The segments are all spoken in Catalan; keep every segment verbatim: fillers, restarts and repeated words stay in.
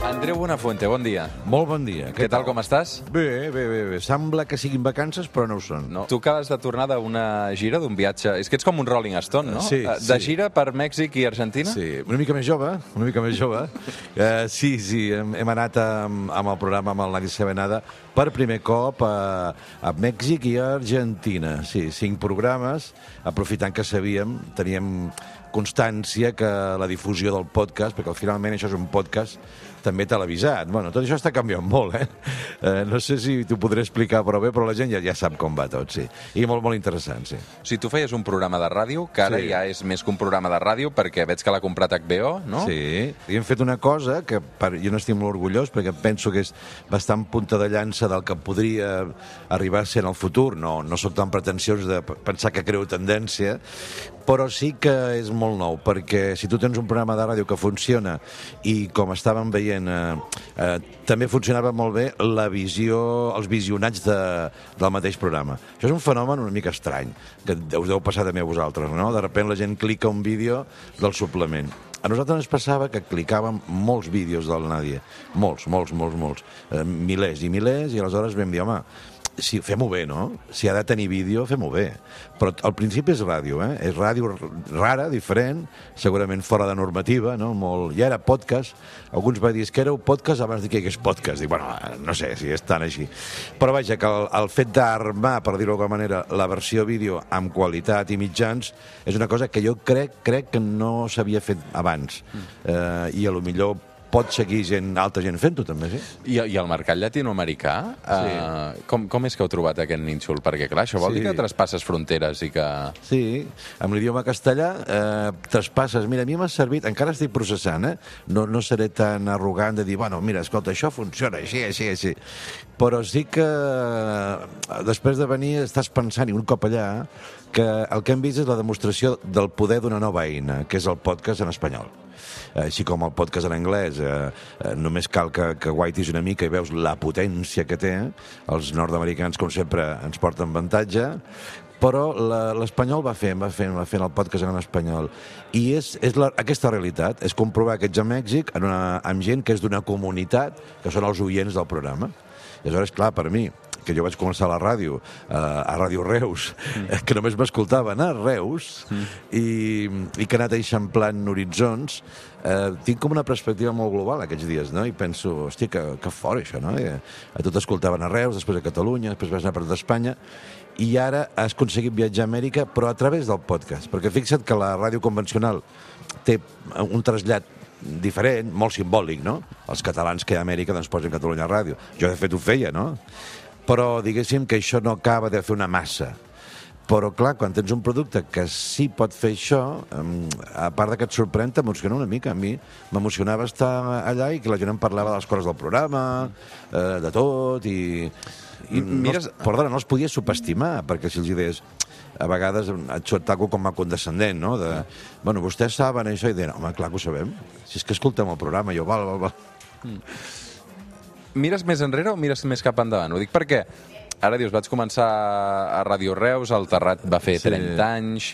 Andreu Buenafuente, bon dia. Molt bon dia. Què, Què tal, com estàs? Bé, bé, bé, bé. Sembla que siguin vacances, però no ho són. No. Tu acabes de tornar d'una gira, d'un viatge... És que ets com un Rolling Stone, no? Sí, De sí. gira per Mèxic i Argentina? Sí, una mica més jove, una mica més jove. Uh, sí, sí, hem, hem anat amb, amb el programa, amb el Nadie Sabe Nada, per primer cop a, a Mèxic i a Argentina. Sí, cinc programes, aprofitant que sabíem, teníem constància que la difusió del podcast, perquè finalment això és un podcast també televisat. Bueno, tot això està canviant molt, eh? eh no sé si t'ho podré explicar prou bé, però la gent ja, ja sap com va tot, sí. I molt, molt interessant, sí. O sigui, tu feies un programa de ràdio, que ara Sí. ja és més que un programa de ràdio, perquè veig que l'ha comprat H B O, no? Sí, i hem fet una cosa que per, jo n'estic molt orgullós, perquè penso que és bastant punta de llança del que podria arribar a ser en el futur. No, no sóc tan pretensiós de pensar que creo tendència, però sí que és molt nou, perquè si tu tens un programa de ràdio que funciona i, com estàvem veient, eh, eh, també funcionava molt bé la visió, els visionats de, del mateix programa. Això és un fenomen una mica estrany, que us deu passar també a vosaltres, no? De sobte la gent clica un vídeo del suplement. A nosaltres ens passava que clicàvem molts vídeos del Nadie, molts, molts, molts, molts, eh, milers i milers, i aleshores vam dir, home, sí, fem-ho bé, no? Si ha de tenir vídeo, fem-ho bé. Però al principi és ràdio, eh? És ràdio rara, diferent, segurament fora de normativa, no? Molt... Ja era podcast. Alguns van dir que éreu podcast abans de que hi hagués podcast. Dic, bueno, no sé si és tan així. Però vaja, que el, el fet d'armar, per dir-ho d'alguna manera, la versió vídeo amb qualitat i mitjans és una cosa que jo crec, crec que no s'havia fet abans. Mm. Eh, I a lo millor pot seguir gent, altra gent fent-ho, també, sí? I, I el mercat llatinoamericà, Sí. eh, com, com és que heu trobat aquest nínxol? Perquè, clar, això vol Sí. dir que traspasses fronteres i que... Sí, amb l'idioma castellà eh, traspasses. Mira, a mi m'ha servit, encara estic processant, eh? No, no seré tan arrogant de dir, bueno, mira, escolta, això funciona així, així, així. Però sí que eh, després de venir estàs pensant, i un cop allà, que el que hem vist és la demostració del poder d'una nova eina, que és el podcast en espanyol. Així com el podcast en anglès, eh, eh, només cal que, que guaitis una mica i veus la potència que té. Els nord-americans, com sempre, ens porten avantatge, però l'espanyol va fent, va fent, va fent el podcast en espanyol. I és, és la, aquesta realitat, és comprovar que ets a Mèxic en una, amb gent que és d'una comunitat, que són els oients del programa. I aleshores, clar, per mi, que jo vaig començar a la ràdio, eh, a Ràdio Reus, mm. que només m'escoltaven a Reus, mm. i, i que he anat eixamplant horitzons, eh, tinc com una perspectiva molt global aquests dies, no? I penso, hòstia, que, que fort això, no? I, a tot escoltaven a Reus, després a Catalunya, després vas anar per tot Espanya, i ara has aconseguit viatjar a Amèrica, però a través del podcast, perquè fixa't que la ràdio convencional té un trasllat diferent, molt simbòlic, no? Els catalans que hi ha a Amèrica doncs posen Catalunya Ràdio. Jo, de fet, ho feia, no? Però diguéssim que això no acaba de fer una massa. Però, clar, quan tens un producte que sí pot fer això, a part de que et sorprèn, t'emociona una mica. A mi m'emocionava estar allà i que la gent em parlava de les coses del programa, eh, de tot, i... i Mires... no, perdona, no els podia subestimar, perquè si els deies... A vegades et surt algo com a condescendent, no? De, bueno, vostès saben això, i deien, home, clar que ho sabem. Si és que escoltem el programa, jo, val, val, val. Mm. Mires més enrere o mires més cap endavant? Ho dic perquè ara dius, vaig començar a Ràdio Reus, el Terrat va fer Sí. trenta anys...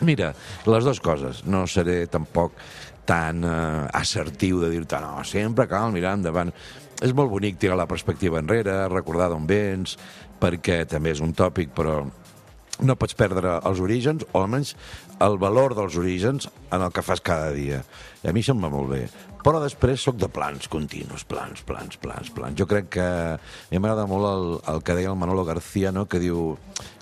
Mira, les dues coses. No seré tampoc tan eh, assertiu de dir-te, no, sempre cal mirar endavant. És molt bonic tirar la perspectiva enrere, recordar d'on vens, perquè també és un tòpic, però no pots perdre els orígens, o almenys el valor dels orígens en el que fas cada dia. I a mi això em va molt bé. Però després sóc de plans continus, plans, plans, plans, plans. Jo crec que a mi m'agrada molt el, el que deia el Manolo García, no? Que diu,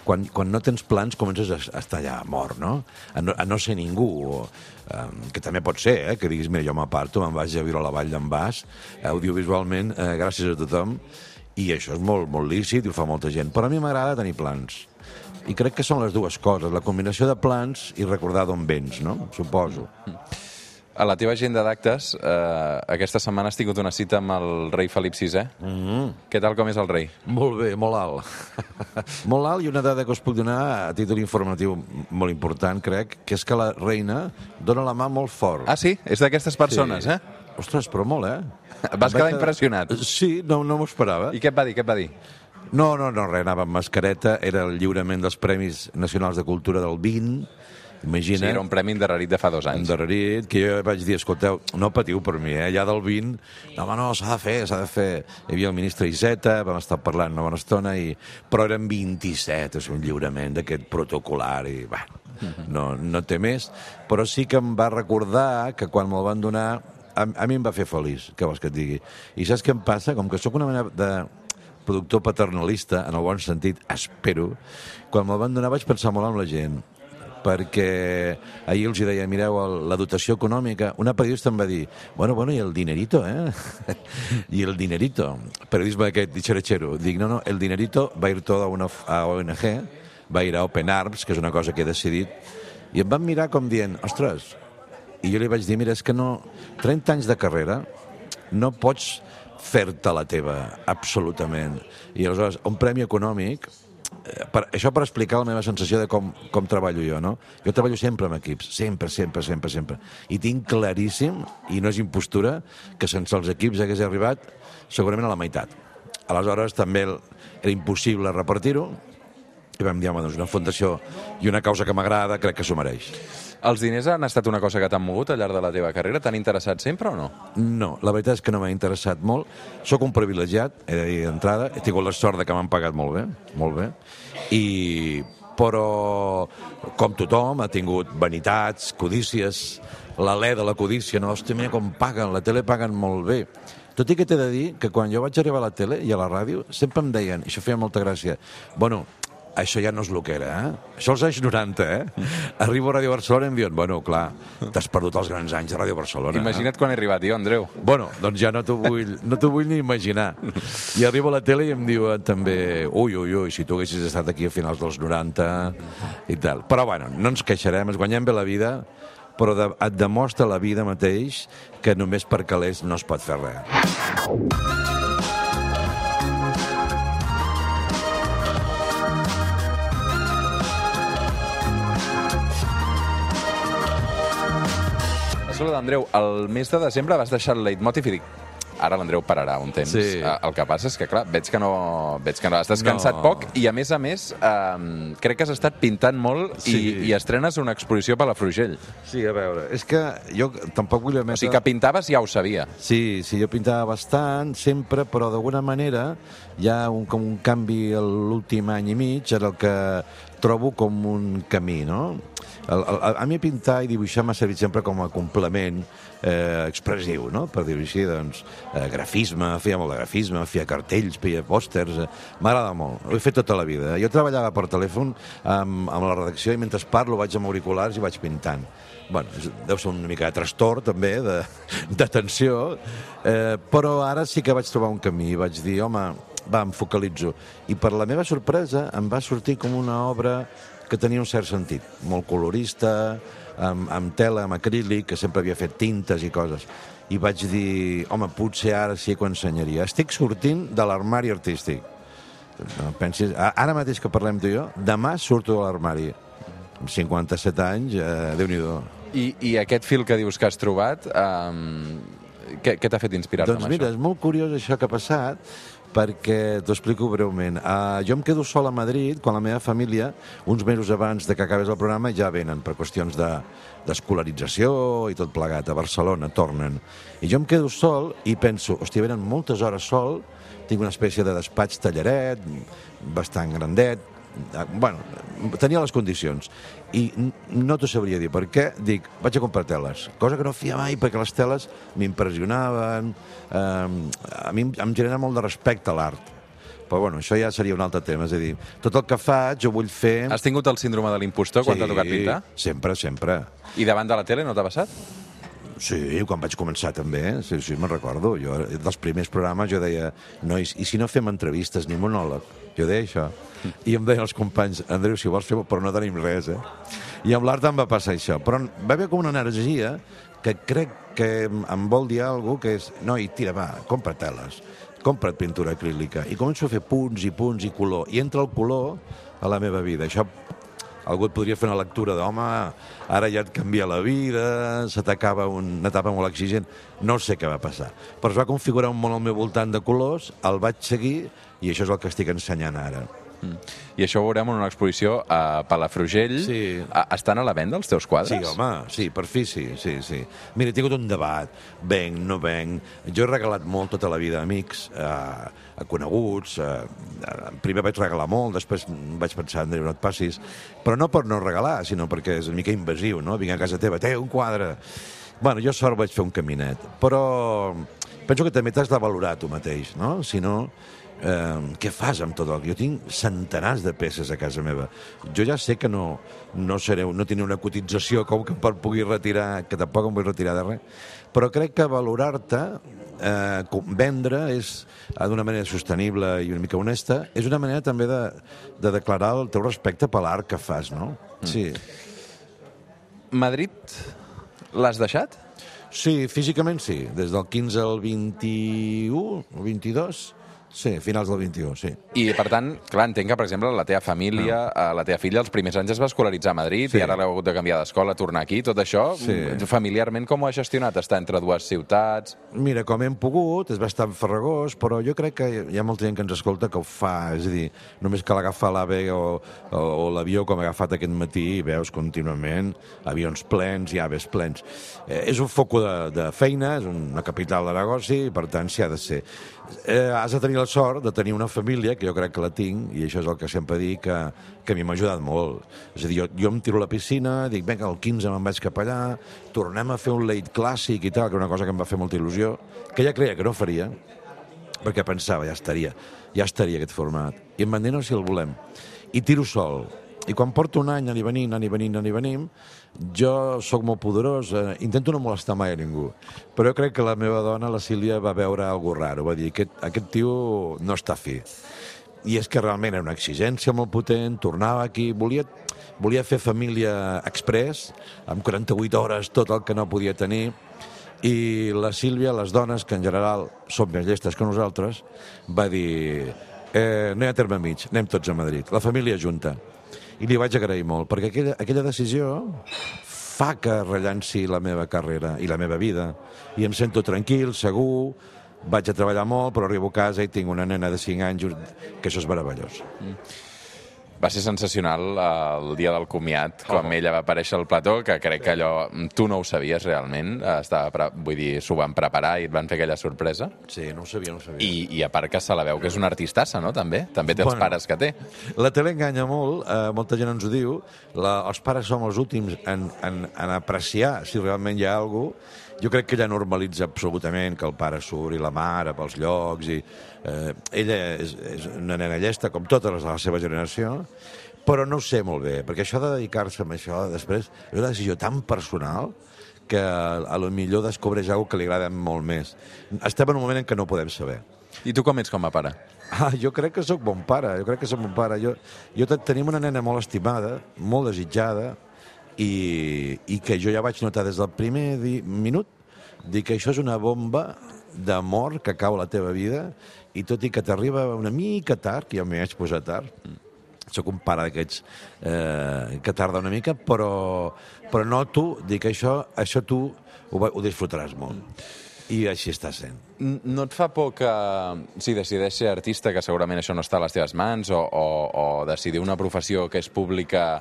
quan, quan no tens plans comences a, a estar allà mort, no? A no, a no ser ningú, o, um, que també pot ser, eh? Que diguis, mira, jo m'aparto, me'n vaig a viure a la Vall d'en Bas, audiovisualment, eh, gràcies a tothom, i això és molt, molt lícit i ho fa molta gent. Però a mi m'agrada tenir plans. I crec que són les dues coses, la combinació de plans i recordar d'on vens, no? Suposo. A la teva agenda d'actes, eh, aquesta setmana has tingut una cita amb el rei Felip sisè. Mm-hmm. Què tal, com és el rei? Molt bé, molt alt. Molt alt, i una dada que us puc donar a títol informatiu molt important, crec, que és que la reina dona la mà molt fort. Ah, sí? És d'aquestes persones, sí. eh? Ostres, però molt, eh? Vas quedar impressionat. Sí, no, no m'ho esperava. I què et va dir, què et va dir? No, no, no, res, anava amb mascareta, era el lliurament dels Premis Nacionals de Cultura del vint, imagina. Sí, era un premi endarrerit de fa dos anys. Endarrerit, que jo vaig dir, escolteu, no patiu per mi, eh? Allà del vint, no, home, no, s'ha de fer, s'ha de fer. Hi havia el ministre Iceta, vam estar parlant una bona estona, i... però eren vint-i-set, és un lliurament d'aquest protocolar, i, bueno, no, no té més. Però sí que em va recordar que quan me'l van donar, a, a mi em va fer feliç, què vols que et digui? I saps què em passa? Com que sóc una mena de productor paternalista, en el bon sentit, espero, quan me'l van donar vaig pensar molt en la gent, perquè ahir els deia, mireu, la dotació econòmica, una periodista em va dir, bueno, bueno, i el dinerito, eh? I el dinerito, periodisme aquest dixeratxero, dic, no, no, el dinerito va ir tot a una a O N G, va ir a Open Arms, que és una cosa que he decidit, i em van mirar com dient, ostres, i jo li vaig dir, mira, és que no, trenta anys de carrera, no pots fer-te la teva, absolutament. I aleshores, un premi econòmic, per, això per explicar la meva sensació de com, com treballo jo, no? Jo treballo sempre amb equips, sempre, sempre, sempre, sempre. I tinc claríssim, i no és impostura, que sense els equips hagués arribat segurament a la meitat. Aleshores, també era impossible repartir-ho, i vam dir, home, doncs una fundació i una causa que m'agrada, crec que s'ho mereix. Els diners han estat una cosa que t'han mogut al llarg de la teva carrera? T'han interessat sempre o no? No, la veritat és que no m'ha interessat molt. Soc un privilegiat, he de dir d'entrada. He tingut la sort de que m'han pagat molt bé, molt bé. I... Però, com tothom, ha tingut vanitats, codícies, l'alè de la codícia, no? Hòstia, mira com paguen, la tele paguen molt bé. Tot i que t'he de dir que quan jo vaig arribar a la tele i a la ràdio, sempre em deien, i això feia molta gràcia, bueno, això ja no és el que era, eh? Això als anys noranta, eh? Arribo a Ràdio Barcelona i em diuen, bueno, clar, t'has perdut els grans anys de Ràdio Barcelona. Imagina't eh? quan he arribat jo, Andreu. Bueno, doncs ja no t'ho vull, no t'ho vull ni imaginar. I arribo a la tele i em diuen també, ui, ui, ui, si tu haguessis estat aquí a finals dels noranta i tal. Però, bueno, no ens queixarem, ens guanyem bé la vida, però de, et demostra la vida mateix que només per calés no es pot fer res. Escolta, Andreu, el mes de desembre vas deixar el leitmotiv i dic, ara l'Andreu pararà un temps. Sí. El que passa és que, clar, veig que no, veig que no has descansat No. poc i, a més a més, eh, crec que has estat pintant molt Sí. i, i estrenes una exposició per la Frugell. Sí, a veure, és que jo tampoc vull emetre... O sigui que pintaves ja ho sabia. Sí, sí, jo pintava bastant, sempre, però d'alguna manera hi ha un, com un canvi a l'últim any i mig, en el que trobo com un camí, no? El, el, a mi pintar i dibuixar m'ha servit sempre com a complement eh, expressiu, no? Per dir-ho així, doncs, eh, grafisme, feia molt de grafisme, feia cartells, feia pòsters, eh, m'agrada molt, ho he fet tota la vida. Jo treballava per telèfon amb, amb la redacció i mentre parlo vaig amb auriculars i vaig pintant. Bueno, deu ser una mica de trastorn, també, de, de tensió, eh, però ara sí que vaig trobar un camí, vaig dir, home, va, em focalitzo. I per la meva sorpresa em va sortir com una obra que tenia un cert sentit, molt colorista, amb, amb tela, amb acrílic, que sempre havia fet tintes i coses. I vaig dir, home, potser ara sí que ho ensenyaria. Estic sortint de l'armari artístic. No pensis, ara mateix que parlem tu i jo, demà surto de l'armari. Amb cinquanta-set anys, eh, Déu-n'hi-do. I, I aquest fil que dius que has trobat, eh, què, què t'ha fet inspirar-te Doncs amb mira, això? és molt curiós això que ha passat, perquè t'ho explico breument. Uh, jo em quedo sol a Madrid quan la meva família, uns mesos abans de que acabés el programa, ja venen per qüestions de, d'escolarització i tot plegat. A Barcelona tornen. I jo em quedo sol i penso, hòstia, venen moltes hores sol, tinc una espècie de despatx tallaret, bastant grandet, bueno, tenia les condicions i no t'ho sabria dir per què. Dic, vaig a comprar teles, cosa que no feia mai perquè les teles m'impressionaven, eh, a mi em genera molt de respecte a l'art, però bueno, això ja seria un altre tema, és a dir, tot el que faig ho vull fer... Has tingut el síndrome de l'impostor quan t'ha tocat pintar? Sempre, sempre. I davant de la tele no t'ha passat? Sí, quan vaig començar també, sí, sí, me'n recordo. Jo, dels primers programes jo deia, nois, i si no fem entrevistes ni monòleg? Jo deia això. I em deien els companys, Andreu, si vols fer, però no tenim res, eh? I amb l'art em va passar això. Però va haver com una energia que crec que em vol dir alguna cosa, que és, noi, tira, va, compra teles, compra't pintura acrílica. I començo a fer punts i punts i color. I entra el color a la meva vida. Això algú et podria fer una lectura d'home, ara ja et canvia la vida, se t'acaba una etapa molt exigent. No sé què va passar. Però es va configurar un món al meu voltant de colors, el vaig seguir i això és el que estic ensenyant ara. Mm. I això ho veurem en una exposició a Palafrugell. Sí. Estan a la venda els teus quadres? Sí, home, sí, per fi sí, sí, sí. Mira, he tingut un debat, venc, no venc. Jo he regalat molt tota la vida a amics, a, a coneguts, a, a, primer vaig regalar molt, després vaig pensar, Andreu, no et passis, però no per no regalar, sinó perquè és una mica invasiu, no? Vinc a casa teva, té un quadre. Bueno, jo sort vaig fer un caminet, però penso que també t'has de valorar tu mateix, no? Si no, eh, què fas amb tot el... Jo tinc centenars de peces a casa meva. Jo ja sé que no, no, seré, no tindré una cotització com que per pugui retirar, que tampoc em vull retirar de res, però crec que valorar-te, eh, vendre, és d'una manera sostenible i una mica honesta, és una manera també de, de declarar el teu respecte per l'art que fas, no? Mm. Sí. Madrid l'has deixat? Sí, físicament sí. Des del quinze al vint-i-u o vint-i-dos, sí, finals del vint-i-u, sí. I, per tant, clar, entenc que, per exemple, la teva família, no. la teva filla, els primers anys es va escolaritzar a Madrid sí. i ara l'heu hagut de canviar d'escola, tornar aquí, tot això, sí. familiarment com ho ha gestionat? Estar entre dues ciutats? Mira, com hem pogut, és bastant farragós, però jo crec que hi ha molta gent que ens escolta que ho fa, és a dir, només cal agafar l'AVE o, o, o l'avió com he agafat aquest matí i veus contínuament avions plens i aves plens. Eh, és un foco de, de feina, és una capital de negoci, i per tant s'hi ha de ser. Eh, has de tenir la sort de tenir una família, que jo crec que la tinc, i això és el que sempre dic, que, que a mi m'ha ajudat molt. És a dir, jo, jo em tiro a la piscina, dic, vinga, el quinze me'n vaig cap allà, tornem a fer un late clàssic i tal, que és una cosa que em va fer molta il·lusió, que ja creia que no faria, perquè pensava, ja estaria, ja estaria aquest format. I em van dir, no, si el volem. I tiro sol. I quan porto un any anant i venint, anant i venint, anant i venim, jo sóc molt poderós, eh, intento no molestar mai a ningú, però jo crec que la meva dona, la Sílvia, va veure alguna raro, va dir, aquest, aquest tio no està fi. I és que realment era una exigència molt potent, tornava aquí, volia, volia fer família express, amb quaranta-vuit hores, tot el que no podia tenir, i la Sílvia, les dones, que en general són més llestes que nosaltres, va dir, eh, no hi ha terme mig, anem tots a Madrid, la família junta. I li vaig agrair molt, perquè aquella, aquella decisió fa que rellanci la meva carrera i la meva vida. I em sento tranquil, segur, vaig a treballar molt, però arribo a casa i tinc una nena de cinc anys, que això és meravellós. Mm. Va ser sensacional el dia del comiat, quan oh. ella va aparèixer al plató, que crec que allò... Tu no ho sabies realment, estava pre... vull dir, s'ho van preparar i et van fer aquella sorpresa. Sí, no ho sabia, no ho sabia. I, i a part que se la veu que és una artistassa, no?, també. També té els bueno, pares que té. La tele enganya molt, eh, molta gent ens ho diu, la, els pares som els últims en, en, en apreciar si realment hi ha alguna cosa. Jo crec que ella normalitza absolutament que el pare surt i la mare pels llocs i eh, ella és, és una nena llesta com totes les de la seva generació, però no ho sé molt bé, perquè això de dedicar-se a això després és una decisió tan personal que a lo millor descobreix alguna que li agrada molt més. Estem en un moment en què no ho podem saber. I tu com ets com a pare? Ah, jo crec que sóc bon pare, jo crec que sóc bon pare. Jo, jo tenim una nena molt estimada, molt desitjada, i, i que jo ja vaig notar des del primer di, minut dir que això és una bomba d'amor que cau a la teva vida i tot i que t'arriba una mica tard, que jo m'hi vaig posar tard, sóc un pare d'aquests eh, que tarda una mica, però, però noto dir que això, això tu ho, ho disfrutaràs molt. I així està sent. No et fa por que, si decideix ser artista, que segurament això no està a les teves mans, o, o, o decidir una professió que és pública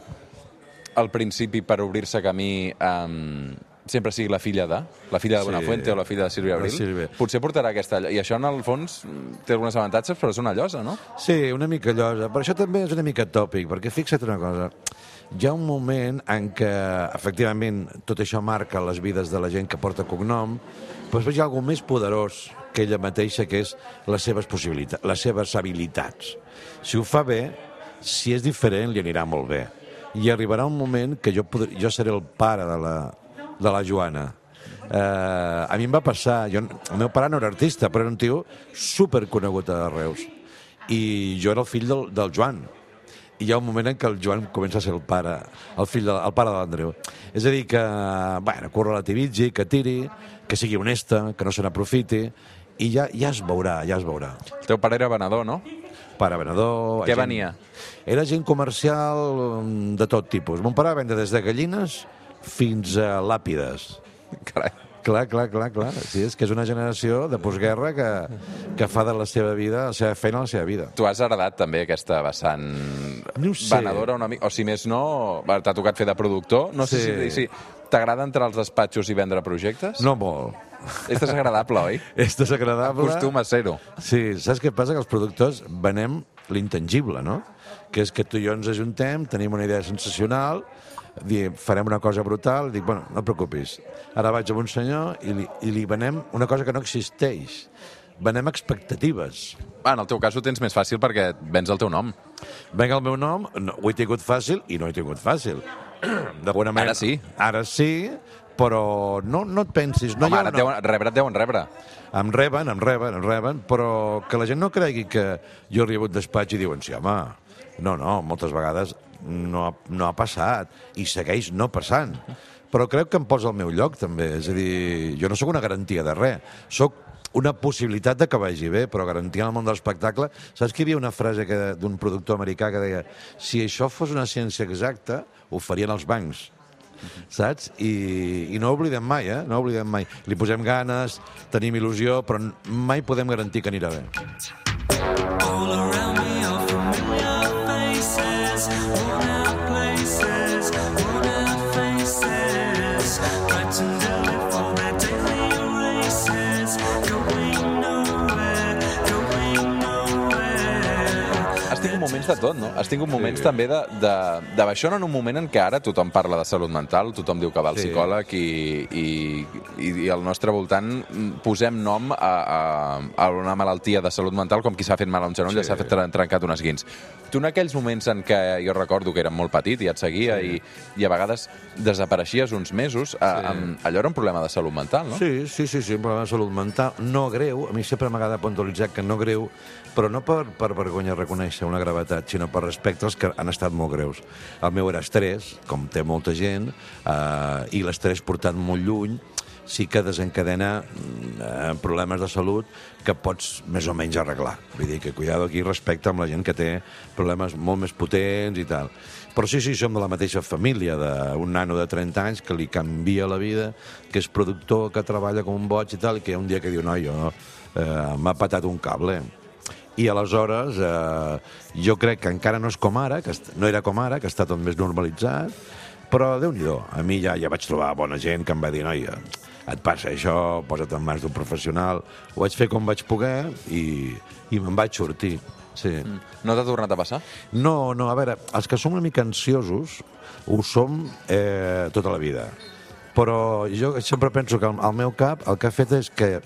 al principi per obrir-se camí, um, sempre sigui la filla de, la filla de Buenafuente sí, o la filla de Sílvia Abril, Sílvia. Potser portarà aquesta... I això, en el fons, té alguns avantatges, però és una llosa, no? Sí, una mica llosa. Per això també és una mica tòpic, perquè fixa't una cosa. Hi ha un moment en què, efectivament, tot això marca les vides de la gent que porta cognom, però hi ha alguna més poderós que ella mateixa, que és les seves possibilitats, les seves habilitats. Si ho fa bé, si és diferent, li anirà molt bé. I arribarà un moment que jo, podré, jo seré el pare de la, de la Joana. Eh, a mi em va passar... Jo, el meu pare no era artista, però era un tio superconegut a Reus. I jo era el fill del, del Joan. I hi ha un moment en què el Joan comença a ser el pare, el fill de, el pare de l'Andreu. És a dir, que, bueno, que ho relativitzi, que tiri, que sigui honesta, que no se n'aprofiti, i ja, ja es veurà, ja es veurà. El teu pare era venedor, no? pare venedor... Què gent... venia? Era gent comercial de tot tipus. Mon pare vendre des de gallines fins a làpides. Carai. Clar, clar, clar, clar. Sí, és que és una generació de postguerra que, que fa de la seva vida, la seva feina, la seva vida. Tu has heredat també aquesta vessant no sé. venedora una mica, o si més no, t'ha tocat fer de productor, no sé Sí. si, si t'agrada entrar als despatxos i vendre projectes? No molt. És desagradable, oi? És desagradable. Acostuma a ser-ho. Sí, saps què passa? Que els productors venem l'intangible, no? Que és que tu i jo ens ajuntem, tenim una idea sensacional, diem, farem una cosa brutal, dic, bueno, no et preocupis. Ara vaig amb un senyor i li, i li venem una cosa que no existeix. Venem expectatives. Ah, en el teu cas ho tens més fàcil perquè vens el teu nom. Venga el meu nom, no, ho he tingut fàcil i no ho he tingut fàcil. D'alguna manera... Ara sí. Ara sí, però no, no et pensis... No Home, hi ha ara et una... deuen, rebre et deuen rebre. Em reben, em reben, em reben, però que la gent no cregui que jo he rebut despatx i diuen, sí, home, no, no, moltes vegades no ha, no ha passat i segueix no passant. Però crec que em posa al meu lloc, també. És a dir, jo no sóc una garantia de res. Sóc una possibilitat de que vagi bé, però garantia en el món de l'espectacle... Saps que hi havia una frase que- d'un productor americà que deia si això fos una ciència exacta, ho farien els bancs. Saps? I, i no ho oblidem mai, eh? No ho oblidem mai. Li posem ganes, tenim il·lusió, però mai podem garantir que anirà bé. All around me are familiar faces, worn out places, worn out faces, frightened to live for their daily races, going nowhere, going nowhere. Has tingut moments de tot, no? Has tingut moments Sí. també de, de, de baixona en un moment en què ara tothom parla de salut mental, tothom diu que va al Sí. psicòleg i, i, i, i al nostre voltant posem nom a, a, a una malaltia de salut mental com qui s'ha fet mal a un genoll i Sí. s'ha fet tren- trencat un esguins. Tu en aquells moments en què jo recordo que era molt petit i et seguia sí. i, i a vegades desapareixies uns mesos, sí. a, amb, allò era un problema de salut mental, no? Sí, sí, sí, sí, un problema de salut mental. No greu, a mi sempre m'agrada puntualitzar que no greu, però no per, per vergonya reconèixer una gravetat, sinó per respecte als que han estat molt greus. El meu era estrès, com té molta gent, eh, i l'estrès portat molt lluny sí que desencadena eh, problemes de salut que pots més o menys arreglar. Vull dir que cuidado aquí respecte amb la gent que té problemes molt més potents i tal. Però sí, sí, som de la mateixa família, d'un nano de trenta anys que li canvia la vida, que és productor, que treballa com un boig i tal, i que hi ha un dia que diu, no, jo eh, m'ha patat un cable. I aleshores eh, jo crec que encara no és com ara, que no era com ara, que està tot més normalitzat, però Déu-n'hi-do, a mi ja, ja vaig trobar bona gent que em va dir, noia, et passa això, posa't en mans d'un professional. Ho vaig fer com vaig poder i, i me'n vaig sortir. Sí. Mm. No t'ha tornat a passar? No, no, a veure, els que som una mica ansiosos ho som eh, tota la vida. Però jo sempre penso que el, el meu cap el que ha fet és que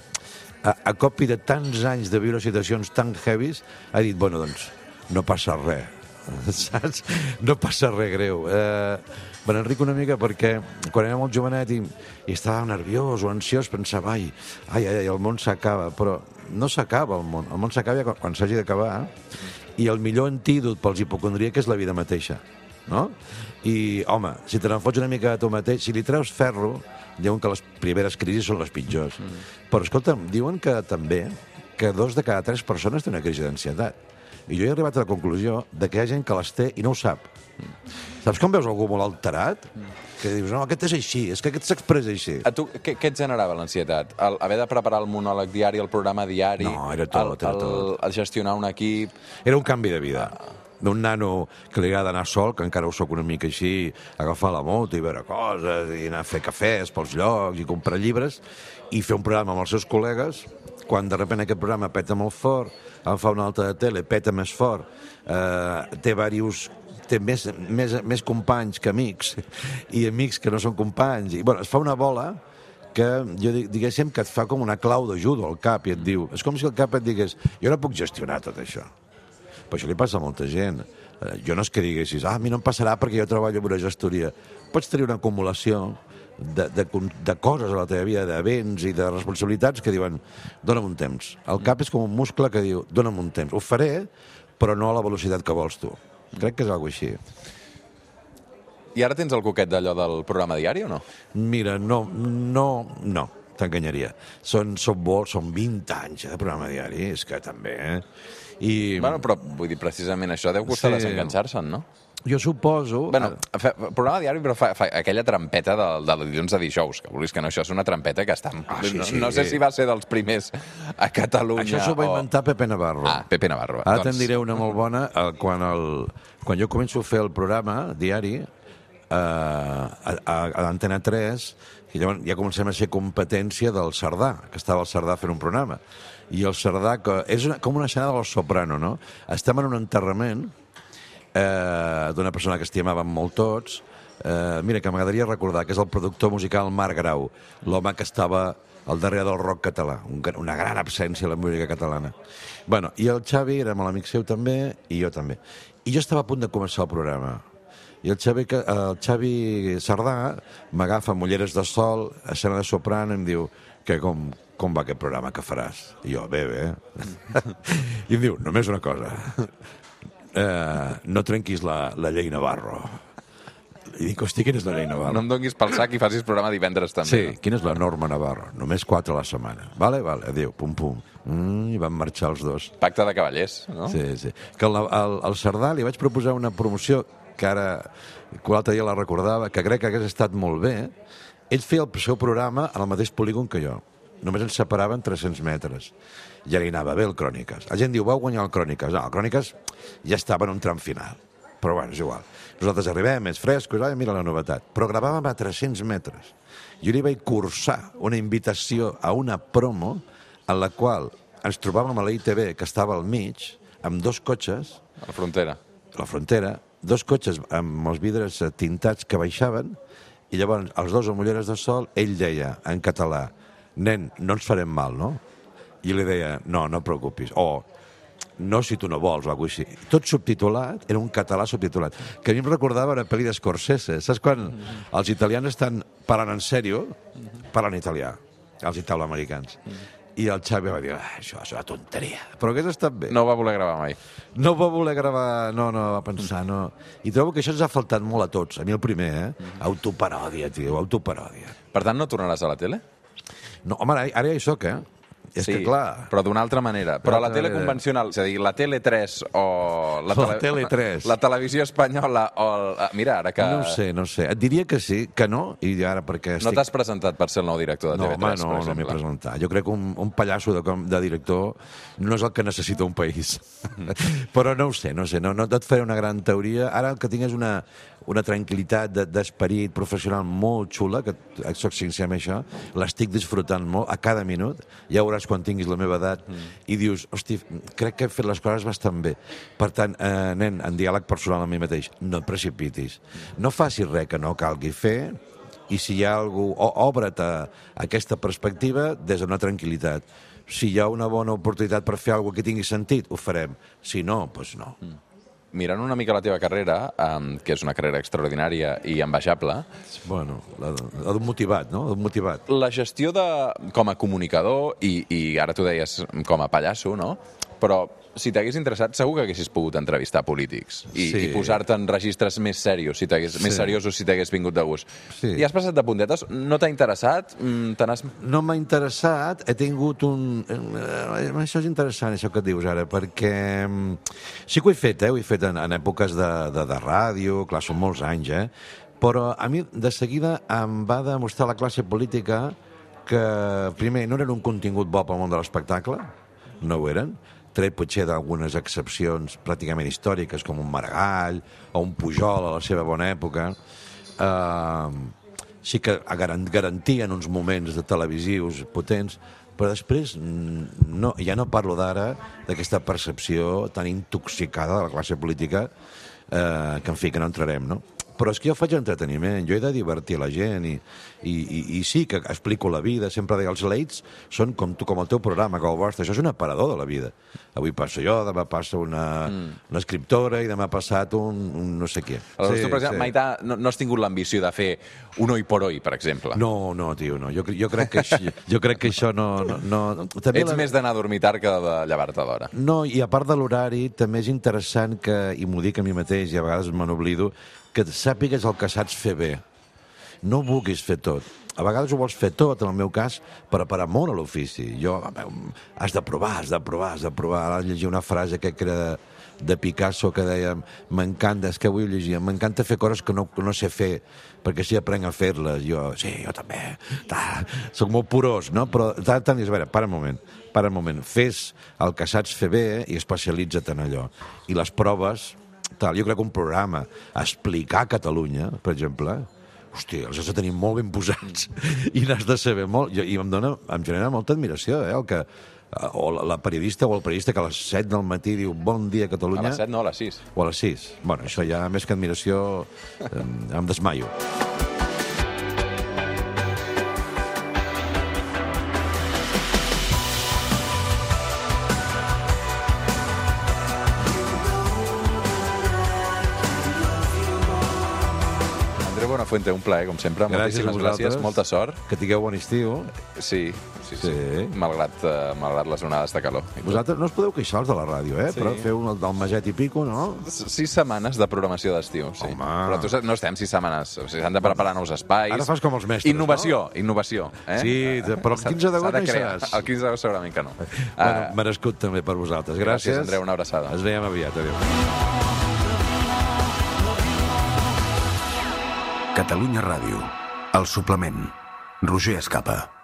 a, a copi de tants anys de viure situacions tan heavies ha dit, bueno, doncs, no passa res, saps? No passa res greu. Eh, me n'enric una mica perquè quan era molt jovenet i, i estava nerviós o ansiós pensava, ai, ai, ai, el món s'acaba, però no s'acaba el món, el món s'acaba quan, quan s'hagi d'acabar i el millor antídot pels hipocondríacs és la vida mateixa, no? I, home, si te n'enfots una mica a tu mateix, si li treus ferro, diuen que les primeres crisis són les pitjors. Mm. Però, escolta'm, diuen que també que dos de cada tres persones té una crisi d'ansietat. I jo he arribat a la conclusió de que hi ha gent que les té i no ho sap. Mm. Saps quan veus algú molt alterat? Mm. Que dius, no, aquest és així, és que aquest s'expressa així. A tu, què, què et generava l'ansietat? El, haver de preparar el monòleg diari, el programa diari... No, era tot, el, era el, tot. el gestionar un equip... Era un canvi de vida. D'un nano que li agrada anar sol, que encara ho soc una mica així, agafar la moto i veure coses, i anar a fer cafès pels llocs, i comprar llibres, i fer un programa amb els seus col·legues, quan de sobte aquest programa peta molt fort, en fa un altre de tele, peta més fort, eh, té diversos... té més, més, més companys que amics, i amics que no són companys, i bueno, es fa una bola que jo diguéssim que et fa com una clau de judo al cap i et diu, és com si el cap et digués, jo no puc gestionar tot això. Però això li passa a molta gent. Jo no és que diguessis, ah, a mi no em passarà perquè jo treballo en una gestoria. Pots tenir una acumulació de, de, de coses a la teva vida, d'events i de responsabilitats que diuen, dona'm un temps. El cap és com un muscle que diu, dona'm un temps. Ho faré, però no a la velocitat que vols tu. Crec que és alguna així. I ara tens el coquet d'allò del programa diari o no? Mira, no, no, no. t'enganyaria. Són, són, molt, són vint anys eh, de programa diari, és que també... Eh? I... Bueno, però vull dir, precisament això deu costar Sí. desenganxar-se'n, no? Jo suposo... Bueno, fa, programa diari, però fa, fa aquella trampeta de, de dilluns a dijous, que vulguis que no, això és una trampeta que està... Ah, sí, no, sí. no sé si va ser dels primers a Catalunya Això s'ho va o... inventar Pepe Navarro. Ah, Pepe Navarro. Ara doncs... te'n diré una molt bona. eh, Quan, el, quan jo començo a fer el programa diari eh, a, a, a l'Antena tres, i llavors ja comencem a ser competència del Cerdà, que estava el Cerdà fent un programa. I el Cerdà, que és una, com una escena del Soprano, no? Estem en un enterrament eh, d'una persona que estimàvem molt tots. Eh, mira, que m'agradaria recordar que és el productor musical Marc Grau, l'home que estava al darrere del rock català, un, una gran absència a la música catalana. Bueno, i el Xavi era molt amic seu també, i jo també. I jo estava a punt de començar el programa. I el Xavi, el Xavi Cerdà m'agafa amb ulleres de sol, escena de soprano, i em diu que com, com va aquest programa que faràs? I jo, bé, bé. I em diu, només una cosa. Eh, no trenquis la, la llei Navarro. I dic, hosti, quina és la llei Navarro? No em donguis pel sac i facis programa divendres també. Sí, quina és la norma Navarro? Només quatre a la setmana. Vale, vale, adéu, pum, pum. Mm, I van marxar els dos. Pacte de cavallers, no? Sí, sí. Que al, al, al Cerdà li vaig proposar una promoció que ara, que l'altre dia la recordava, que crec que hagués estat molt bé. Ell feia el seu programa en el mateix polígon que jo. Només ens separaven tres-cents metres. Ja li anava bé el Cròniques. La gent diu, vau guanyar el Cròniques. No, el Cròniques ja estava en un tram final. Però bueno, és igual. Nosaltres arribem, més frescos, ai, mira la novetat. Però gravàvem a tres-cents metres. Jo li vaig cursar una invitació a una promo en la qual ens trobàvem a la I T V, que estava al mig, amb dos cotxes, A la frontera. a la frontera, dos cotxes amb els vidres tintats que baixaven, i llavors els dos amb ulleres de sol, ell deia en català, nen, no ens farem mal, no? I li deia, no, no et preocupis. O, no si tu no vols, o alguna cosa així. Tot subtitulat, era un català subtitulat, que a mi em recordava una pel·li d'Scorsese. Saps quan els italians estan parlant en sèrio, parlant italià, els italoamericans. I el Xavi va dir, ah, això és una tonteria. Però hagués estat bé. No va voler gravar mai. No va voler gravar, no, no, va pensar, no. I trobo que això ens ha faltat molt a tots. A mi el primer, eh? Autoparòdia, tio, autoparòdia. Per tant, no tornaràs a la tele? No, home, ara, ara ja hi soc, eh? És sí, que, clar... però d'una altra manera. Però a la altra tele manera. convencional, és a dir, la Tele tres o... La Tele tres. La televisió espanyola o... El... Mira, ara que... No ho sé, no ho sé. Et diria que sí, que no, i ara perquè No estic... t'has presentat per ser el nou director de No, T V home, tres, no, per no m'he exemple. presentat. Jo crec que un, un pallasso de, com- de director no és el que necessita un país. Però no ho sé, no ho sé. No, no et faré una gran teoria. Ara el que tinc és una, una tranquil·litat de- d'esperit professional molt xula, que soc sincer amb això, l'estic disfrutant molt a cada minut. Ja veuràs quan tinguis la meva edat mm. i dius, hosti, crec que he fet les coses bastant bé. Per tant, eh, nen, en diàleg personal amb mi mateix, no et precipitis. No facis res que no calgui fer, i si hi ha algú, o, obre't a, a aquesta perspectiva des d'una tranquil·litat. Si hi ha una bona oportunitat per fer alguna cosa que tingui sentit, ho farem. Si no, doncs no. Mm. Mirant una mica la teva carrera, um, que és una carrera extraordinària i envejable, Bueno, la, la d'un motivat, no? La d'un motivat. la gestió de, com a comunicador, i, i ara tu deies com a pallasso, no? Però si t'hagués interessat, segur que haguessis pogut entrevistar polítics i, Sí. i posar-te en registres més serios, si t'hagués, més Sí. seriosos si t'hagués vingut de gust. Sí. I has passat de puntetes? No t'ha interessat? Mm, Te n'has... No m'ha interessat, he tingut un... eh, Això és interessant, això que et dius ara, perquè mm, sí que ho he fet, eh? Ho he fet en, en èpoques de, de, de ràdio, clar, són molts anys, eh? Però a mi, de seguida, em va demostrar la classe política que, primer, no eren un contingut bo pel món de l'espectacle, no ho eren, tret potser d'algunes excepcions pràcticament històriques, com un Maragall o un Pujol a la seva bona època. Uh, sí que garan- garantien uns moments de televisius potents, però després mm, no, ja no parlo d'ara d'aquesta percepció tan intoxicada de la classe política eh, que, en fi, que no entrarem, no? Però és que jo faig entreteniment, jo he de divertir la gent i, i, i, i sí que explico la vida, sempre deia, els Lates són com tu, com el teu programa, com el vostre, això és un aparador de la vida. Avui passo jo, demà passa una, mm. una escriptora i demà ha passat un, un no sé què. Aleshores, tu, per exemple, mai t'ha- no, no has tingut l'ambició de fer un oi por oi, per exemple? No, no, tio, no. Jo, jo, crec, que això, jo crec que això no... no, no. També Ets la... més d'anar a dormir tard que de llevar-te d'hora. No, i a part de l'horari, també és interessant que, i m'ho dic a mi mateix, i a vegades me n'oblido, que sàpigues el que saps fer bé. No ho vulguis fer tot. a vegades ho vols fer tot, en el meu cas, per, per amor a l'ofici. Jo, has de provar, has de provar, has de provar. Ara llegir una frase que era de Picasso que deia m'encanta, és que avui ho llegia, m'encanta fer coses que no, que no sé fer, perquè si aprenc a fer-les. Jo, sí, jo també. Ta, soc molt porós, no? Però tant, tant, a veure, para un moment, para un moment. Fes el que saps fer bé i especialitza't en allò. I les proves, tal, jo crec que un programa, explicar Catalunya, per exemple, hòstia, els has de tenir molt ben posats i n'has de saber molt. I em dona, em genera molta admiració, eh, el que o la periodista o el periodista que a les set del matí diu bon dia Catalunya. A les set no, a les sis. O a les sis. Bueno, això ja més que admiració em, em desmaio. Buenafuente, un plaer, com sempre. Gràcies Moltíssimes gràcies, molta sort. Que tingueu bon estiu. Sí, sí, sí. Sí. Malgrat, uh, malgrat les onades de calor. Vosaltres no us podeu queixar els de la ràdio, eh? Sí. Però feu un del meset i pico, no? Sis setmanes de programació d'estiu, sí. Home. Però tu, saps, no estem sis setmanes. O sigui, s'han de preparar nous espais. Ara fas com els mestres, Innovació, no? Innovació. Eh? Sí, però el quinze d'agost no hi seràs. El quinze d'agost segurament que no. Bueno, Uh, merescut també per vosaltres. Gràcies. gràcies, Andreu, una abraçada. Ens veiem aviat. Adéu. Catalunya Ràdio. El suplement. Roger Escapa.